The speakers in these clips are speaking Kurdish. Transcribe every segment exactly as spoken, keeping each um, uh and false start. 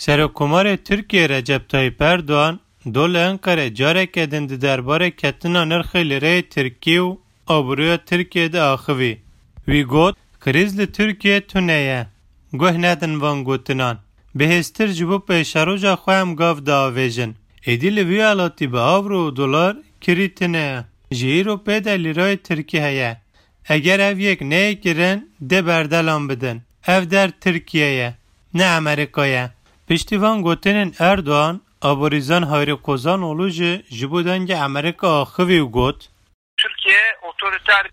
Serokkomarê Tirkiyê Recep Tayyip Erdogan do li Enqerê careke din di derbarê ketina nirxê lîreyê tirkî û aboriya Tirkiyê de axivî. Wî got, krîz li Tirkiyê tune ye. Guh nedin van gotinan. Bihêztir ji bo pêşeroja xwe em gav diavêjin. Êdî li vî welatî bi avro û dolar kirî tune ye. Ji îro pê de lîrayê tirkî heye. Eger ev yek neyê kirin, dê berdelan bidin. Ev der Tirkiye ye, ne Amerîka ye. Piştî van gotinên Erdogan, aborîzan Hayri Kozanoğlu jî ji bo dengê Amerîka axivî û got,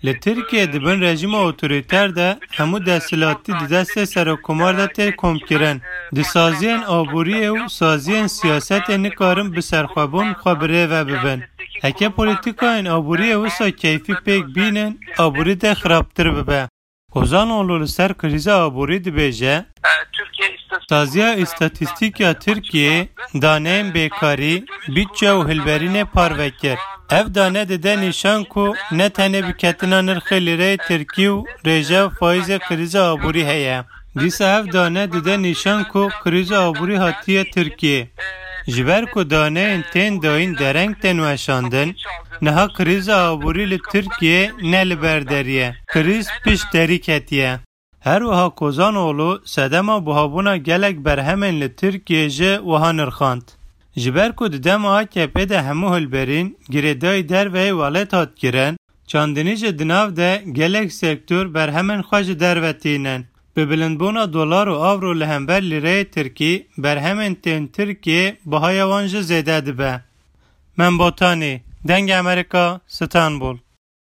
Li Tirkiye di bin rejîma otorîter de hemû desthilatî di destê serokkomar de tê komkirin. Di saziyên aboriyê û saziyên siyasetê nikarin bi serxwebûn xwe bi rê ve bibin. Heke polîtîkayên aboriyê wisa keyfî pêk bînin, aborî dê xirabtir bibe. Kozanoğlu li ser krîza aborî dibêje, Saziya Îstatîstîk ya Tirkiyê daneyên bêkarî, bîtçe û hilberînê parve kir. Ev dane dide nîşan ku ne tenê bi ketina nirxê lîreyê tirkî û rêje û faîzê krîza aborî heye. Dîsa ev dane dide nîşan ku krîza aborî hatiye Tirkiyê. Ji ber ku daneyên tên dayîn dereng tên weşandin, niha krîza aborî li Tirkiyê ne li ber derî ye. Krîz pişt derî ketiye. Her wiha Kozanoğlu sedema buhabûna gelek berhemên li Tirkiyê jî wiha nirxand. Ji ber ku di dema A K P de hemû hilberîn girêdayî derveyî welêt hat kirin, çandinî jî di nav de gelek sektor berhemên xwe ji derve tînin. Bi bilindbûna dolar û avro li hember lîreyê tirkî, berhemên tên Tirkiyê bihaya wan jî zêde dibe. Mem Botanî, Dengê Amerîka, Stenbol.